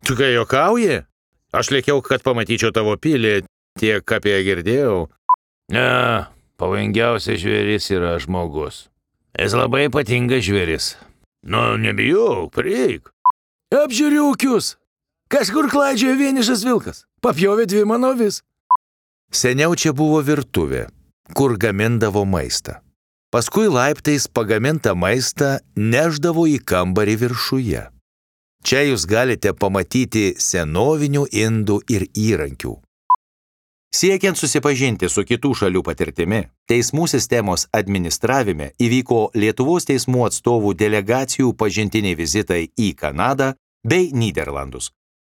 Tu ką juokauji? Aš lėkiau, kad pamatyčiau tavo pilį, tiek apie ją girdėjau. Ne, pavojingiausias žvėris yra žmogus. Jis labai ypatingas žvėris. Nu, nebijok, prieik. Apžiūriukius. Kažkur klaidžioja vienišas vilkas. Papjovė 2 mano avis. Seniau čia buvo virtuvė, kur gamindavo maistą. Paskui laiptais pagamintą maistą neždavo į kambarį viršuje. Čia jūs galite pamatyti senovinių indų ir įrankių. Siekiant susipažinti su kitų šalių patirtimi, teismų sistemos administravime įvyko Lietuvos teismų atstovų delegacijų pažintiniai vizitai į Kanadą bei Nyderlandus.